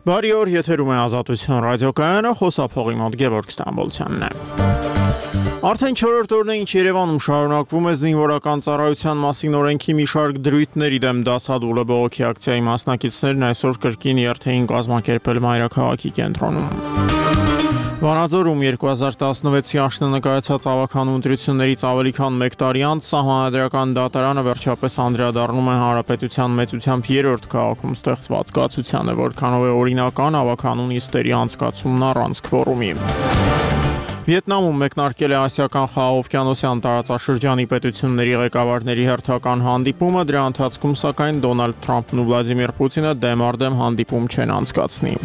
Բարի օր, եթերում է Ազատություն ռադիոկայանը, խոսափողի մոտ Գևորգ Ստամբոլցյանն է։ Արդեն 4-րդ օրն է, ինչ Երևանում շարունակվում է զինվորական ծառայության մասին օրենքի մի շարք դրույթների դեմ դասադուլը բողոքի ակցիայի մասնակիցներն այսօր կրկին երթեին կազմակերպել մայրաքաղաքի կենտրոնում։ Վանաձորում 2016-ի աշնանը կայացած ավականու ընտրություններից ավելի քան 1 տարի անց Սահմանադրական դատարանը վերջապես անդրադառնում է հանրապետության մեծությամբ 3-րդ քաղաքում ստեղծված կացությանը, որքանով է օրինական ավականու նիստերի անցկացումն առանց քվորումի։ Վիետնամում մեկնարկել է Ասիական խաղաղօվկիանոսյան տարածաշրջանի պետությունների ղեկավարների հերթական հանդիպումը, դրա ընթացքում սակայն Դոնալդ Թրամփն ու Վլադիմիր Պուտինը դեմ առ դեմ հանդիպում չեն անցկացնի։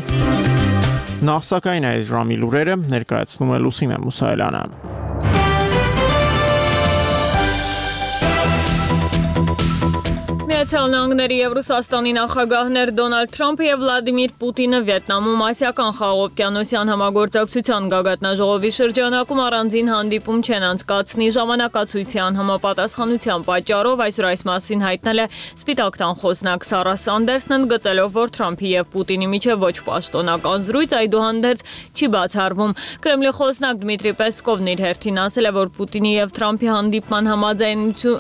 Նախ սակայն այս ժամի լուրերը ներկայացնում է Լուսինե Մուսայելյանը։ Միացյալ Նահանգների և Ռուսաստանի նախագահներ Դոնալդ Թրամփը և Վլադիմիր Պուտինը Վիետնամում Ասիական խաղաղօվկիանոսյան համագործակցության գագաթնաժողովի շրջանակում առանձին հանդիպում չեն անցկացնի ժամանակացույցի անհամապատասխանության պատճառով, այսօր այս մասին հայտնել է Սպիտակ տան խոսնակ Սարա Սանդերսն, ընդգծելով, որ Թրամփի և Պուտինի միջև ոչ պաշտոնական զրույց այդուհանդերձ չի բացառվում։ Կրեմլի խոսնակ Դմիտրի Պեսկովն իր հերթին ասել է, որ Պուտինի և Թրամփի հանդիպման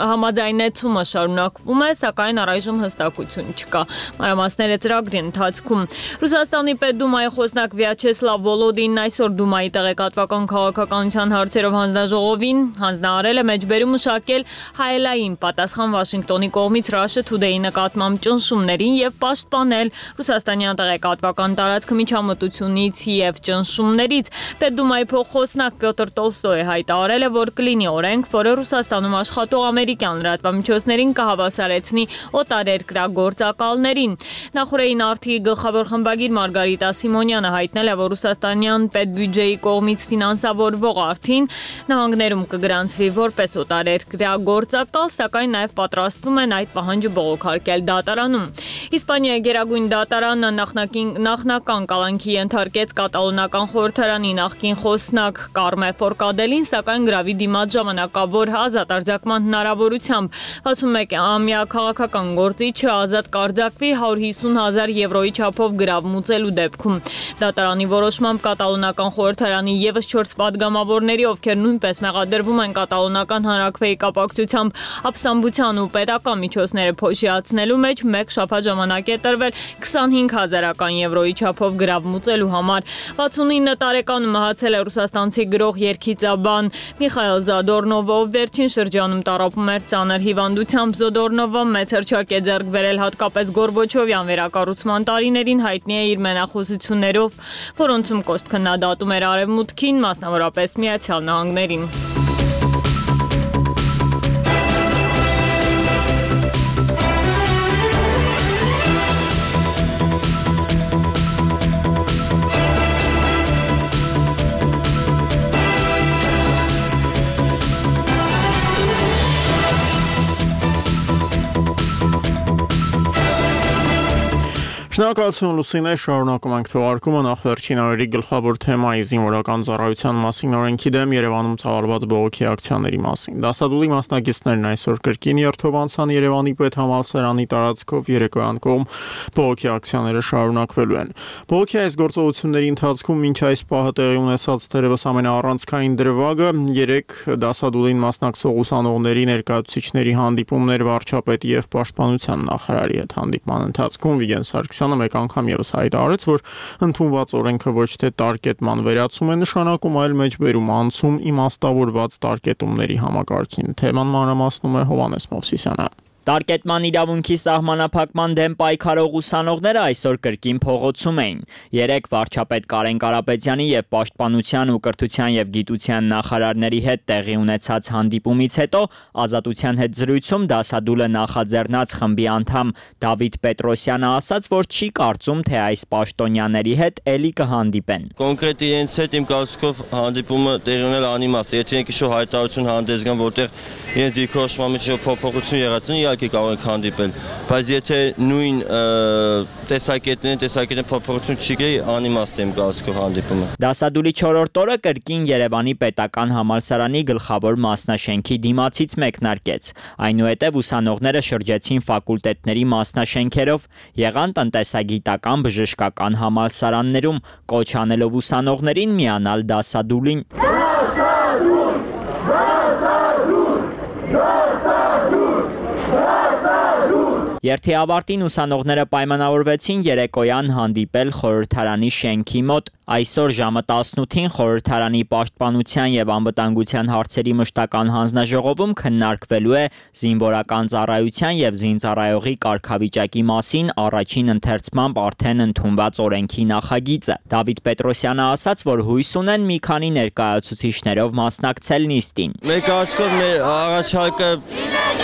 համաձայնեցումը շարունակվում է, սակայն առայժմ հստակություն չկա։ Մանրամասները ծրագրի ընթացքում։ Ռուսաստանի Պետդումայի խոսնակ Վյաչեսլավ Վոլոդինն այսօր Դումայի տեղեկատվական քաղաքականության հարցերով հանձնաժողովին հանձնարարել է մեջբերում մշակել հայելային պատասխան Վաշինգտոնի կողմից Russia Today-ի նկատմամբ ճնշումներին և պաշտպանել ռուսաստանյան տեղեկատվական տարածքը միջամտությունից և ճնշումներից։ Պետդումայի փոխխոսնակ Պյոտր Տոլստոյը հայտարարել է, որ կլինի օրենք, որը Ռուսաստանում աշխատող ամերիկյան լրատվամիջոցներին կհավասարեցնի օտարերկրագործակալներին։ Նախորդային արդի գլխավոր խմբագիր Մարգարիտա Սիմոնյանը հայտնել է, որ ռուսաստանյան պետբյուջեի կողմից ֆինանսավորվող արդին նահանգներում կգրանցվի որպես օտարերկրագործակալ, սակայն նաև պատրաստվում են այդ պահանջը բողոքարկել դատարանում։ Իսպանիայի գերագույն դատարանը նախնական կալանքի ենթարկեց կատալոնական խորհրդարանի նախկին խոսնակ Կարմե Ֆորկադելին, սակայն գրավի դիմաց ժամանակավոր ազատ արձակման հնարավորությամբ 61-ամյա քաղաքական գործիչը ազատ կարձակվի 150,000 եվրոյի չափով գրավ մուծելու դեպքում։ Դատարանի որոշմամբ կատալոնական խորհրդարանի ևս 4 պատգամավորների, ովքեր նույնպես մեղադրվում են կատալոնական հանրաքվեի կապակցությամբ ապստամբության ու պետական միջոցները փոշիացնելու մեջ, 1 շաբաթ ժամանակ է տրվել 25,000 եվրոյի չափով գրավ մուծելու համար։ 69 տարեկանում մահացել է ռուսաստանցի գրող երգիծաբան Միխայել Զադորնովը, ով վերջին շրջանում տառապում էր ծանր հիվանդությամբ։ Զոդորնովը մեծ հռչակ է ձեռք բերել հատկապես Գորբաչովյան վերակառուցման տարիներին, հայտնի է իր մենախոսություններով, որոնցում կոշտ քննադատում էր Արևմուտքին, մասնավորապես Միացյալ Նահանգներին։ Շնորհակալություն Լուսինե, շարունակում ենք թողարկումը, նախ վերջին օրերի գլխավոր թեմայի զինվորական ծառայության մասին օրենքի դեմ Երևանում ցավալված բողոքի ակցիաների մասին։ Դասադուլի մասնակիցներն այսօր կրկին երթով անցան Երևանի պետհամալսարանի տարածքով, երեկոյան կողմ բողոքի ակցիաները շարունակվելու են։ Բողոքի այս գործողությունների ընթացքում մինչ այս պահը տեղի ունեցած թերևս ամենաառանցքային դրվագը 3 դասադուլին մասնակցող ուսանողների ներկայացուցիչների հանդիպումներ վարչապետի եւ պաշտպանության նախարարի հետ։ Հանդիպման ընթացքում Վիգեն Սարգսյանը մեկ անգամ ևս հայտարարեց, որ ընդունված օրենքը ոչ թե տարկետման վերացում է նշանակում, այլ մեջբերում անցում իմաստավորված տարկետումների համակարգին։ Թեման մանրամասնում է Հովհաննես Մովսիսյանը։ Տարկետման իրավունքի սահմանափակման դեմ պայքարող ուսանողները այսօր կրկին փողոցում էին։ 3 վարչապետ Կարեն Կարապետյանի եւ Պաշտպանության ու կրթության եւ գիտության նախարարների հետ տեղի ունեցած հանդիպումից հետո Ազատության հետ զրույցում դասադուլը նախաձեռնած խմբի անդամ Դավիթ Պետրոսյանը ասաց, որ չի կարծում, թե այս պաշտոնյաների հետ էլի կհանդիպեն։ Կոնկրետ իրենց հետ իմ կարծիքով հանդիպումը տեղի ունել անիմաստ է, եթե իրենք ինչ-որ հայտարարություն հանդես գան, որտեղ իրենց դիրքորոշման մեջ փոփոխություն եղած, իհարկե կարող ենք հանդիպել, բայց եթե նույն տեսակետն փոփոխություն չի գեի, անիմաստ եմ կարծիքով հանդիպումը։ Դասադուլի 4-րդ օրը կրկին Երևանի պետական համալսարանի գլխավոր մասնաշենքի դիմացից մեկնարկեց։ Այնուհետև ուսանողները շրջեցին ֆակուլտետների մասնաշենքերով, եղան տնտեսագիտական, բժշկական համալսարաններում, կոչ անելով ուսանողներին միանալ դասադուլին։ Երթի ավարտին ուսանողները պայմանավորվեցին երեկոյան հանդիպել խորհրդարանի շենքի մոտ։ Այսօր ժամը 18-ին խորհրդարանի պաշտպանության եւ անվտանգության հարցերի մշտական հանձնաժողովում քննարկվելու է զինվորական ծառայության եւ զինծառայողի կարգավիճակի մասին առաջին ընթերցմամբ արդեն ընդունված օրենքի նախագիծը։ Դավիթ Պետրոսյանը ասաց, որ հույս ունեն մի քանի ներկայացուցիչներով մասնակցել նիստին։ Մեր կարծիքով մեր առաջարկը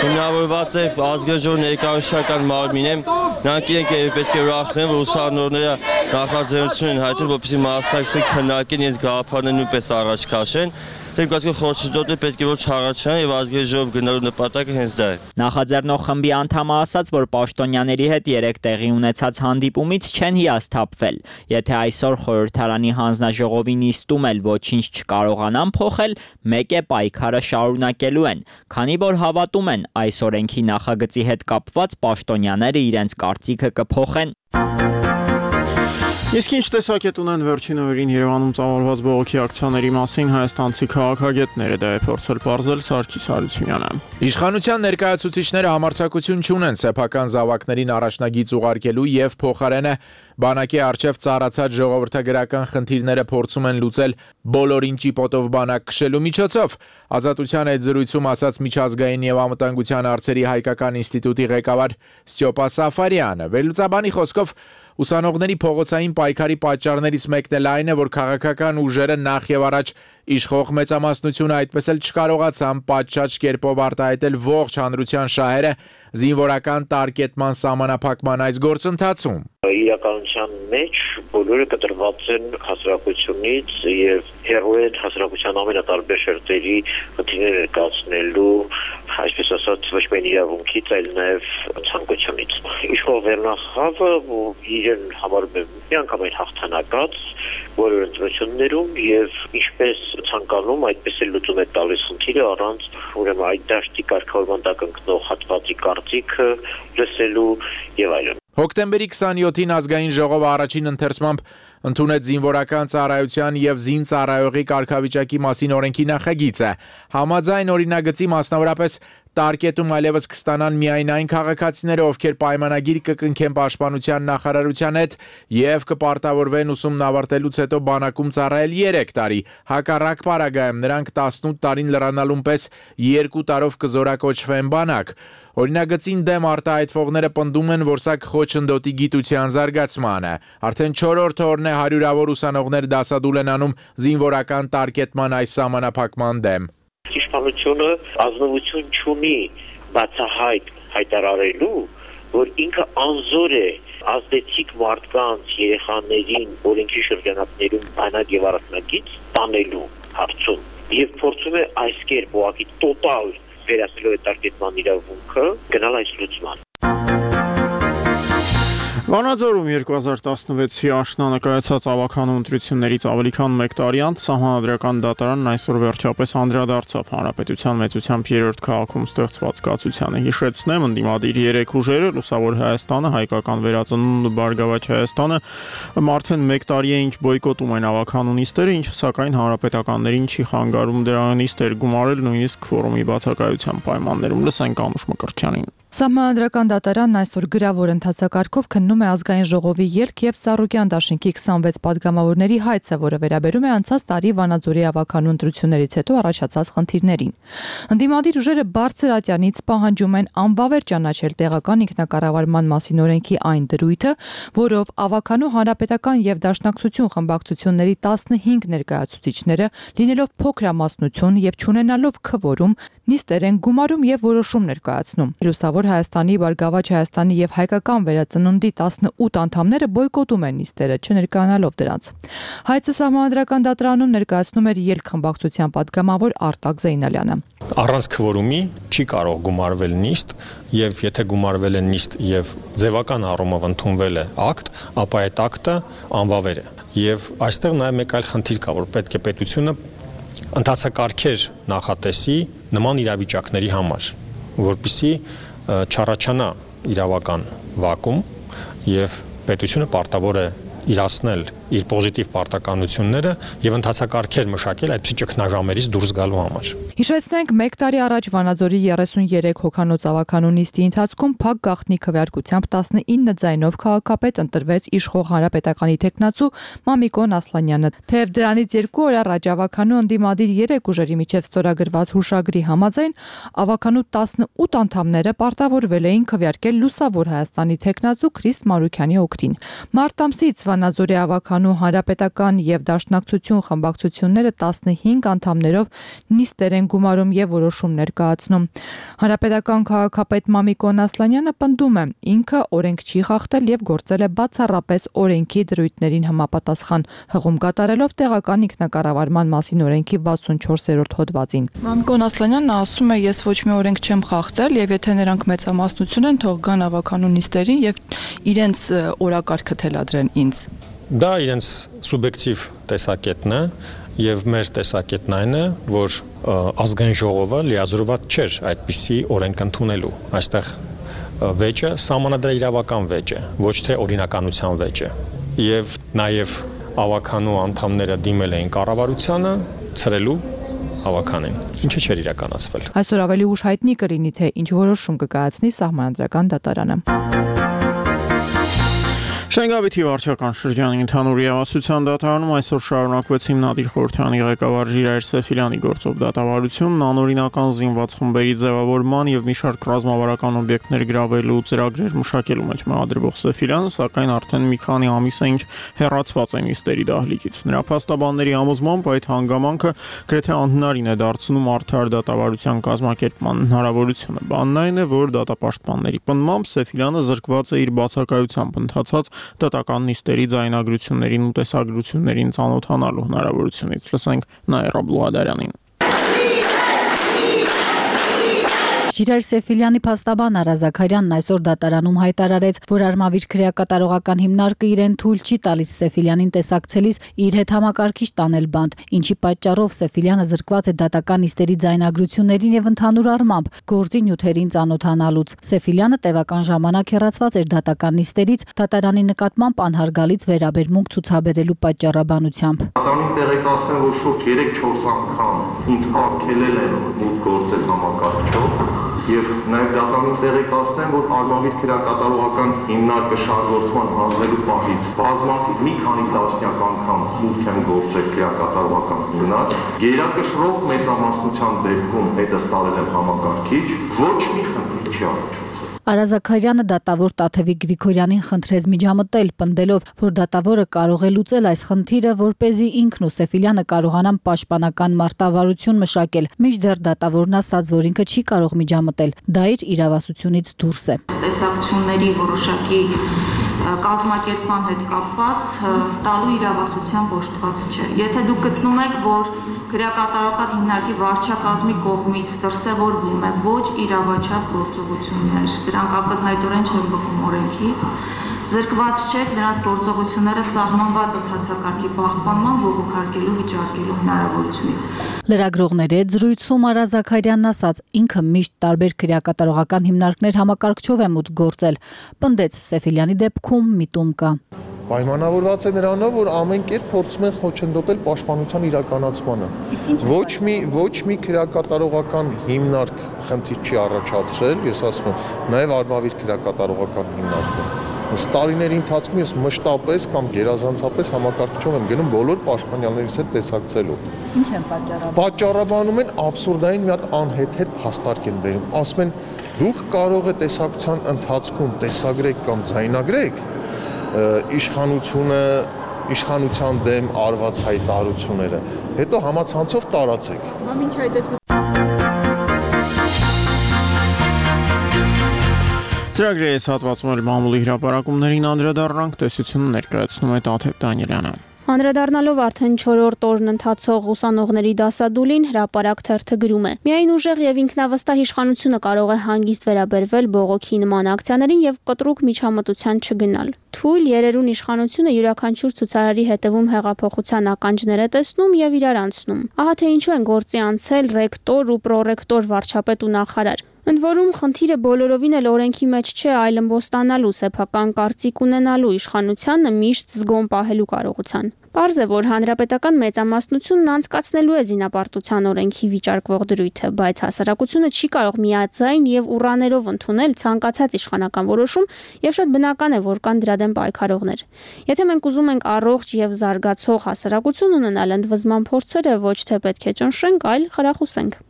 հիմնավորված է ազգաժողովի ներկայացուցչական մարմինին, նրանք իրենք պետք է ուրախնեն, որ ուսանողները նախաձեռնություն են հայտնում, որպեսզի մասնակցեն քննարկեն իրենց գաղափարները նույնպես առաջ քաշեն։ Դեմ կարծիքով խորհրդի պետք է որ չառաջանա եւ ազգաժողով գնալու նպատակը հենց դա է։ Նախաձեռնող խմբի անդամը ասաց, որ պաշտոնյաների հետ երեք տեղի ունեցած հանդիպումից չեն հիասթափվել։ Եթե այսօր խորհրդարանի հանձնաժողովի նիստում էլ ոչինչ չկարողանան փոխել, մեկ է պայքարը շարունակելու են, քանի որ հավատում են այս օրենքի նախագծի հետ կապված պաշտոնյաները իրենց կարծիքը կփոխեն։ Իսկ ինչ տեսակետ ունեն վերջին օրերին Երևանում ծավալված բողոքի ակցիաների մասին հայաստանցի քաղաքագետները, դա է փորձել պարզել Սարգիս Հարությունյանը։ Իշխանության ներկայացուցիչները համարձակություն չունեն սեփական զավակներին առաջնագիծ ուղարկելու եւ փոխարենը բանակի արչեւ ծառացած ժողովրդագրական խնդիրները փորձում են լուծել բոլորին ճիպոտով բանակ քշելու միջոցով։ Ազատության այդ զրույցում ասաց միջազգային եւ անվտանգության հարցերի հայկական ինստիտուտի ղեկավար Ստյոպա Սաֆարյանը։ Վերլուծաբանի խոսքով ուսանողների փողոցային պայքարի պատճառներից մեկն էլ այն է, որ քաղաքական ուժերը նախ եւ առաջ իշխող մեծամասնությունը այդպես էլ չկարողացան պատշաճ կերպով արտահայտել ողջ հանրության շահերը զինվորական տարկետման սահմանափակման այս գործընթացում։ Իրականության մեջ բոլորը կտրված են հասարակությունից եւ հեռու են հասարակության ամենատարբեր շերտերի խնդիրներ ներկայացնելու, այսպես ասած, ոչ միայն իրավունքից, այլ նաեւ ցանկությունից։ Իշխող վերնախավը իրեն համարում է միանգամայն հաղթանակած բոլոր ընտրություններում եւ ինչպես ցանկանում այդպես էլ լուծում է տալիս խնդիրը առանց ուրեմն այդ դաշտի կարգավորման տակ ընկնող հատվածի կարծիքը լսելու եւ այլն։ Հոկտեմբերի 27-ին ազգային ժողովը առաջին ընթերցմամբ ընդունեց զինվորական ծառայության եւ զինծառայողի կարգավիճակի մասին օրենքի նախագիծը։ Համաձայն օրինագծի մասնավորապես տարկետում այլևս կստանան միայն այն քաղաքացիները, ովքեր պայմանագիր կկնքեն պաշտպանության նախարարության հետ եւ կպարտավորվեն ուսումն ավարտելուց հետո բանակում ծառայել 3 տարի։ Հակառակ պարագայում նրանք 18 տարին լրանալուն պես 2 տարով կզորակոչվեն բանակ։ Օրինագծին դեմ արտահայտվողները պնդում են, որ սա խոչընդոտի գիտության զարգացմանը։ Արդեն 4-րդ օրն է հարյուրավոր ուսանողներ դասադուլ են անում զինվորական տարկետման այս սահմանափակման դեմ։ Իշխանությունը ազնվություն չունի բացահայտ հայտարարելու, որ ինքը անզոր է ազդեցիկ մարդկանց, երեխաներին օրենքի շրջանակներում բանակ եւ առանձնագիծ տանելու հարցում եւ փորձում է այս կերպ ուղղակի տոտալ վերացնելու տարկետման իրավունքը գնալ այս լուծման։ Վանաձորում 2016-ի աշնանը կայացած ավականու ընտրություններից ավելի քան 1 տարի անց Սահմանադրական դատարանն այսօր վերջապես անդրադարձավ Հանրապետության մեծությամբ 3-րդ քաղաքում ստեղծված կացությանը։ Հիշեցնեմ, ընդդիմադիր 3 ուժերը՝ Լուսավոր Հայաստանը, Հայկական վերածնունդ ու Բարգավաճ Հայաստանը, արդեն 1 տարի է ինչ բոյկոտում են ավականու նիստերը, ինչը սակայն հանրապետականներին չի խանգարում դրա նիստեր գումարել նույնիսկ ֆորումի բացակայության պայմաններում։ Լսենք Անուշ Մկրտչյանին։ Սահմանադրական դատարանն այսօր գրավոր ընթացակարգով քննում է ազգային ժողովի ելք եւ Սառուկյան դաշինքի 26 падգամավորների հայցը, որը վերաբերում է անցած տարի Վանաձորի ավականու ընտրություններից հետո առաջացած խնդիրներին։ Ընդդիմադիր ուժերը բարձր ատյանից պահանջում են անբավեր ճանաչել տեղական ինքնակառավարման մասին օրենքի այն դրույթը, որով ավականու հանրապետական եւ դաշնակցություն խմբակցությունների 15 ներկայացուցիչները, լինելով փոքրամասնություն եւ չունենալով քվորում, նիստեր են գումարում եւ որոշումներ կայացնում։ Լուսավոր Հայաստանի, Բարգավաճ Հայաստանի եւ Հայկական վերածնունդի 18 անդամները բոյկոտում են նիստերը, չներկայանալով դրանց։ Հայցը Սահմանադրական դատարանում ներկայացնում էր ելքխմբակցության պատգամավոր Արտակ Զեյնալյանը։ Առանց քվորումի չի կարող գումարվել նիստ, եւ եթե գումարվել է նիստ եւ ձևական առումով ընդունվել է ակտ, ապա այդ ակտը անվավեր է։ Եվ այստեղ նաեւ մեկ այլ խնդիր կա, որ պետք է պետությունը ընթացակարգեր նախատեսի նման իրավիճակների համար, որպեսզի չառաջանա իրավական վակուում եւ պետությունը պարտավոր է իրացնել իր պոզիտիվ պարտականությունները եւ ընթացակարգեր մշակել այդպիսի ճգնաժամերից դուրս գալու համար։ Հիշեցնենք, 1 տարի առաջ Վանաձորի 33 հոգանոց ավականու նիստի ընթացքում փակ գաղտնի քվեարկությամբ 19 ձայնով քաղաքապետ ընտրվեց իշխող հանրապետականի տեխնացու Մամիկոն Ասլանյանը։ Թեև դրանից 2 օր առաջ ավականու ընդդիմադիր 3 ուժերի միջև ստորագրված հուշագրի համաձայն ավականու 18 անդամները պարտավորվել էին քվեարկել Լուսավոր Հայաստանի տեխնացու Քրիստ Մարուքյանի օգտին։ Մարտ ամսից Վանաձորի ավականու հանրապետական եւ դաշնակցություն խմբակցությունները 15 անդամներով նիստեր են գումարում եւ որոշումներ կայացնում։ Հանրապետական քաղաքապետ Մամիկոն Ասլանյանը պնդում է, ինքը օրենք չի խախտել եւ գործել է բացառապես օրենքի դրույթներին համապատասխան, հղում կատարելով տեղական ինքնակառավարման մասին օրենքի 64-րդ հոդվածին։ Մամիկոն Ասլանյանն ասում է, ես ոչ մի օրենք չեմ խախտել եւ եթե նրանք մեծամասնություն են, թող գան ավականու նիստերին եւ իրենց օրակարգը թելադրեն ինձ։ Դա իրենց սուբյեկտիվ տեսակետն է եւ մեր տեսակետն այն է, որ ազգային ժողովը լիազորված չէր այդպիսի օրենք ընդունելու։ Այստեղ վեճը սահմանադրական վեճ է, ոչ թե օրինականության վեճ է։ Եվ նաեւ ավականու անդամները դիմել էին կառավարությանը ցրելու ավականին, ինչը չէր իրականացվել։ Այսօր ավելի ուշ հայտնի կլինի, թե ինչ որոշում կկայացնի Սահմանադրական դատարանը։ Շենգավիթի վարչական շրջանի ընդհանուր իրավասության դատարանում այսօր շարունակվեց հիմնադիր խորհրդանի ղեկավար Ժիրայր Սեֆիլյանի գործով դատավարությունն, անօրինական զինված խմբերի ձևավորման եւ մի շարք ռազմավարական օբյեկտներ գրավելու ծրագրեր մշակելու մեջ մեղադրվող Սեֆիլյանը, սակայն արդեն մի քանի ամիս է ինչ հեռացված է նիստերի դահլիճից։ Նրա փաստաբանների համոզմամբ այդ հանգամանքը գրեթե անհնարին է դարձնում արդար դատավարության կազմակերպման հնարավորությունը։ Բանն այն է, որ դատապաշտպանների պնդմամբ Սեֆիլյանը զրկված է իր բացակայությամբ ընթացած դատական նիստերի ձայնագրություններին ու տեսագրություններին ծանոթանալու հնարավորությունից։ Լսենք Նաիրա Բլուհադարյանին։ Ժիրայր Սեֆիլյանի փաստաբան Արա Զաքարյանն այսօր դատարանում հայտարարեց, որ Արմավիր քրեակատարողական հիմնարկը իրեն թույլ չի տալիս Սեֆիլյանին տեսակցելիս իր հետ համակարգիչ տանել բանտ, ինչի պատճառով Սեֆիլյանը զրկված է դատական նիստերի ձայնագրություններին եւ ընդհանուր առմամբ գործի նյութերին ծանոթանալուց։ Սեֆիլյանը տևական ժամանակ հեռացված էր դատական նիստերից դատարանի նկատմամբ անհարգալից վերաբերմունք ցուցաբերելու պատճառաբանությամբ։ Դատարանին տեղեկացնեմ, որ շուրջ 3-4 անգամ ինձ արգելել են մուտք գործել համակարգչով եւ նաեւ դատարանին տեղեկացնեմ, որ Արմավիր քրեակատարողական հիմնարկը շարժորդման հանձնելու պահից բազմաթիվ մի քանի տասնյակ անգամ մուտք են գործել քրեակատարողական հիմնարկ, գերակշռող մեծամասնության դեպքում հետս տարել եմ համակարգիչ, ոչ մի խնդիր չի առաջացել։ Արա Զաքարյանը դատավոր Տաթևիկ Գրիգորյանին խնդրեց միջամտել, պնդելով, որ դատավորը կարող է լուծել այս խնդիրը, որպեսզի ինքն ու Սեֆիլյանը կարողանան պաշտպանական մարտավարություն մշակել։ Մինչդեռ դատավորն ասաց, որ ինքը չի կարող միջամտել, դա իր իրավասությունից դուրս է։ Տեսակցությունների որոշակի կազմակերպման հետ կապված տալու իրավասության ոչտված չէ։ Եթե դուք գտնում եք, որ քրեակատարողական հիմնարկի վարչակազմի կողմից դրսևորվում է ոչ իրավաչափ գործողություններ, դրանք ակնհայտորեն չեն բխում օրենքից, զրկված չեք նրանց գործողությունները սահմանված ընթացակարգի պահպանման բողոքարկելու վիճարկելու հնարավորությունից։ Լրագրողների հետ զրույցում Արա Զաքարյանն ասաց, ինքը միշտ տարբեր քրեակատարողական հիմնարկներ համակարգչով է մուտք գործել, պնդեց Սեֆիլյանի դեպքում միտում կա։ Պայմանավորված է նրանով, որ ամեն կերպ փորձում են խոչընդոտել պաշտպանության իրականացմանը։ Ոչ մի քրեակատարողական հիմնարկ խնդիր չի առաջացրել, ես ասում եմ, նաև Արմավիր քրեակատարողական հիմնարկը։ Տարիների ընթացքում ես մշտապես կամ գերազանցապես համակարգչով եմ գնում բոլոր պաշտպանյալներից հետ տեսակցելու։ Ինչ են պատճառաբանում։ Պատճառաբանում են абսուրդային մի հատ անհեթեթ փաստարկ են բերում։ Ասում են, դուք կարող եք տեսակցության ընթացքում տեսագրեք կամ ձայնագրեք իշխանության դեմ արված հայտարարությունները, հետո համացանցով տարածեք։ Մամ ինչ այդ Ծրագրի այս հատվածում էլ մամուլի հրապարակումներին անդրադառնանք, տեսությունը ներկայացնում է Տաթև Դանիելյանը։ Անդրադառնալով արդեն 4-րդ օրն ընթացող ուսանողների դասադուլին, հրապարակ թերթը գրում է. Միայն ուժեղ եւ ինքնավստահ իշխանությունը կարող է հանգիստ վերաբերվել բողոքի նման ակցիաներին եւ կտրուկ միջամտության չգնալ։ Թույլ երերուն իշխանությունը յուրաքանչյուր ցուցարարի հետևում հեղափոխության ականջներ է տեսնում եւ իրար անցնում։ Ահա թե ինչու են գործի անցել ռեկտոր ու պրոռեկտոր, վարչապետ ու նախարար։ Ընդ որում խնդիրը բոլորովին էլ օրենքի մեջ չէ, այլ ըմբոստանալու, սեփական կարծիք ունենալու, իշխանությանը միշտ զգոն պահելու կարողության։ Պարզ է, որ հանրապետական մեծամասնությունն անցկացնելու է զինապարտության օրենքի վիճարկվող դրույթը, բայց հասարակությունը չի կարող միաձայն եւ ուռաներով ընդունել ցանկացած իշխանական որոշում եւ շատ բնական է, որ կան դրա դեմ պայքարողներ։ Եթե մենք ուզում ենք առողջ եւ զարգացող հասարակություն ունենալ, ընդվզման փորձերը ոչ թե պետք է ճնշենք, այլ խրախուսենք։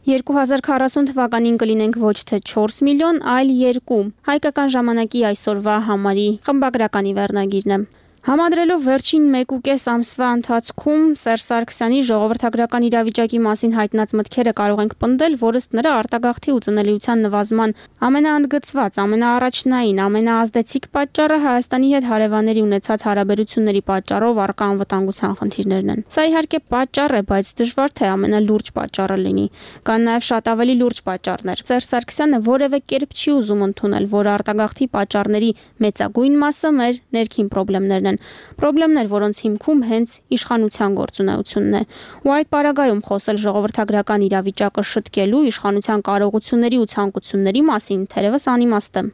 2040 թվականին կլինենք ոչ թե 4 միլիոն, այլ 2։ Հայկական ժամանակի այսօրվա համարի խմբագրականի վերնագիրն է։ Համադրելով վերջին 1.5 ամսվա ընթացքում Սերժ Սարգսյանի ժողովրդագրական իրավիճակի մասին հայտնած մտքերը կարող ենք պնդել, որ ըստ նրա արտագաղթի ու ծնելիության նվազման ամենաընդգծված, ամենաառաջնային, ամենաազդեցիկ պատճառը Հայաստանի հետ հարևանների ունեցած հարաբերությունների պատճառով առկա անվտանգության խնդիրներն են։ Սա իհարկե պատճառ է, բայց դժվար թե ամենալուրջ պատճառը լինի։ Կան նաև շատ ավելի լուրջ պատճառներ։ Սերժ Սարգսյանը որևէ կերպ չի ուզում ընդունել, որ արտագաղթի պատճառների մեծագույն մասը մեր ներքին խնդիրներն են։ Խնդիրներ, որոնց հիմքում հենց իշխանության գործունեությունն է։ Ու այդ պարագայում խոսել ժողովրդագրական իրավիճակը շտկելու, իշխանության կարողությունների ու ցանկությունների մասին թերևս անիմաստ է։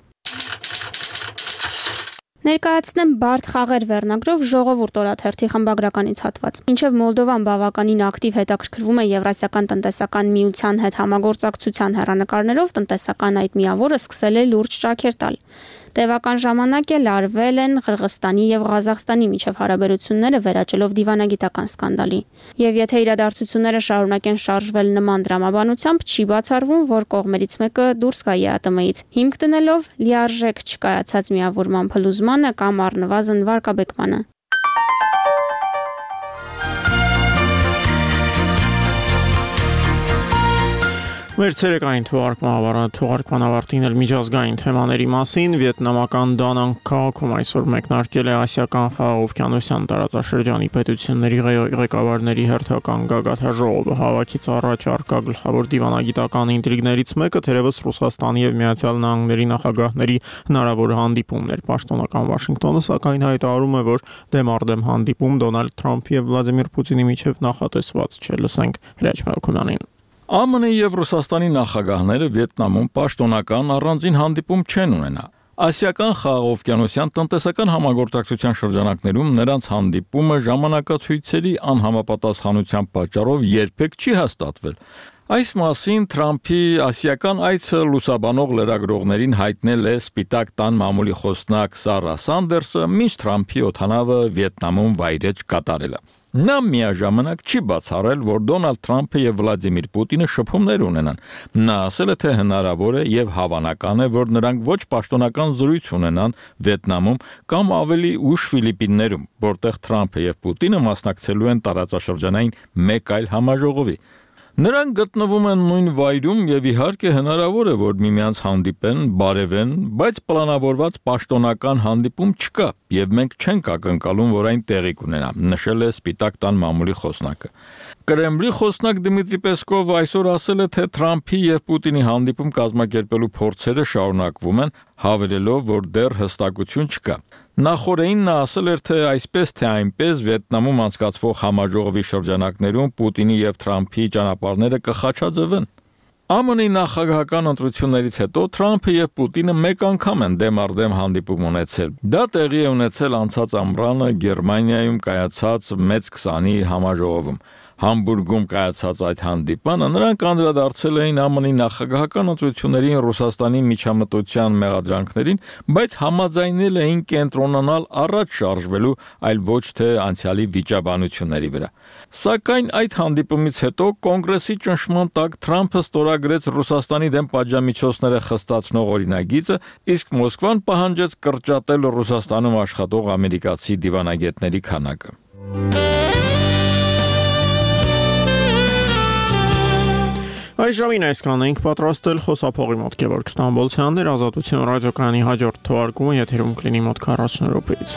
Ներկայացնեմ բարդ խաղեր վերնագրով ժողովուրդ օրաթերթի խմբագրականից հատված։ Մինչև Մոլդովան բավականին ակտիվ հետաքրքրվում է Եվրասիական տնտեսական միության հետ համագործակցության հեռանկարներով, տնտեսական այդ միավորը սկսել է լուրջ ճաքեր տալ։ Տևական ժամանակ էլ արվել են Ղրղստանի եւ Ղազախստանի միջև հարաբերությունները վերաճելով դիվանագիտական սկանդալի։ Եվ եթե իրադարձությունները շարունակեն շարժվել նման դրամաբանությամբ, չի բացառվում, որ կողմերից մեկը դուրս գա ԵԱՏՄ-ից, հիմք դնելով լիարժեք չկայացած միավորման փլուզմանը կամ առնվազն վարկաբեկմանը։ Մեր ցերեկային թողարկման ավարտին էլ միջազգային թեմաների մասին վիետնամական Դանանգ քաղաքում այսօր մեկնարկել է Ասիական խաղաղօվկիանոսյան տարածաշրջանի պետությունների ղեկավարների հերթական գագաթաժողովը։ Հավաքից առաջ արկա գլխավոր դիվանագիտական ինտրիգներից մեկը թերևս Ռուսաստանի եւ Միացյալ Նահանգների նախագահների հնարավոր հանդիպումն էր։ Պաշտոնական Վաշինգտոնը սակայն հայտարարում է, որ դեմարդեմ հանդիպում Դոնալդ Թրամփի եւ Վլադիմիր Պուտինի միջև նախատեսված չէ։ Լսենք Հրաչ Մելքոնյանին։ ԱՄՆ-ի եւ Ռուսաստանի նախագահները Վիետնամում պաշտոնական առանձին հանդիպում չեն ունենա։ Ասիական խաղաղօվկիանոսյան տնտեսական համագործակցության շրջանակներում նրանց հանդիպումը ժամանակացույցերի անհամապատասխանության պատճառով երբեք չի հաստատվել։ Այս մասին Թրամփի ասիական այցը լուսաբանող լրագրողներին հայտնել է Սպիտակ տան մամուլի խոսնակ Սարա Սանդերսը, մինչ Թրամփի օդանավը Վիետնամում վայրեջ կատարելը։ Նա միաժամանակ չի բացառել, որ Դոնալդ Թրամփը եւ Վլադիմիր Պուտինը շփումներ ունենան։ Նա ասել է, թե հնարավոր է եւ հավանական է, որ նրանք ոչ պաշտոնական զրույց ունենան Վիետնամում կամ ավելի ուշ Ֆիլիպիններում, որտեղ Թրամփը եւ Պուտինը մասնակցելու են տարածաշրջանային մեկ այլ համաժողովի։ Նրանք գտնվում են նույն վայրում եւ իհարկե հնարավոր է, որ միմյանց հանդիպեն, բարևեն, բայց պլանավորված պաշտոնական հանդիպում չկա եւ մենք չենք ակնկալում, որ այն տեղի կունենա, նշել է Սպիտակ տան մամուլի խոսնակը։ Կրեմլի խոսնակ Դմիտրի Պեսկովը այսօր ասել է, թե Թրամփի եւ Պուտինի հանդիպում կազմակերպելու փորձերը շարունակվում են, հավելելով, որ դեռ հստակություն չկա։ Նախորդին նա ասել էր, թե այսպես թե այնպես Վիետնամում անցկացվող համաժողովի շրջանակներում Պուտինի եւ Թրամփի ճանապարհները կխաչաձևեն։ ԱՄՆ-ի նախագահական ընտրություններից հետո Թրամփը եւ Պուտինը մեկ անգամ են դեմարդեմ հանդիպում ունեցել։ Դա տեղի է ունեցել անցած ամռանը Գերմանիայում կայացած Մեծ 20-ի համաժողովում։ Համբուրգում կայացած այդ հանդիպանը նրանք անդրադարձել էին ԱՄՆ-ի նախագահական ընտրություններին Ռուսաստանի միջամտության մեղադրանքներին, բայց համաձայնել էին կենտրոնանալ առաջ շարժվելու, այլ ոչ թե անցյալի վիճաբանությունների վրա։ Սակայն այդ հանդիպումից հետո կոնգրեսի ճնշման տակ Թրամփը ստորագրեց Ռուսաստանի դեմ պատժամիջոցները խստացնող օրինագիծը, իսկ Մոսկվան պահանջեց կրճատել Ռուսաստանում աշխատող ամերիկացի դիվանագետների քանակը։ Այս ժամին այսքան ենք պատրաստել խոսափողի մոտ Գևորգ Ստամբոլցյանն էր Ազատություն ռադիոկայանի հաջորդ թողարկումը եթերում կլինի մոտ 40 րոպեից։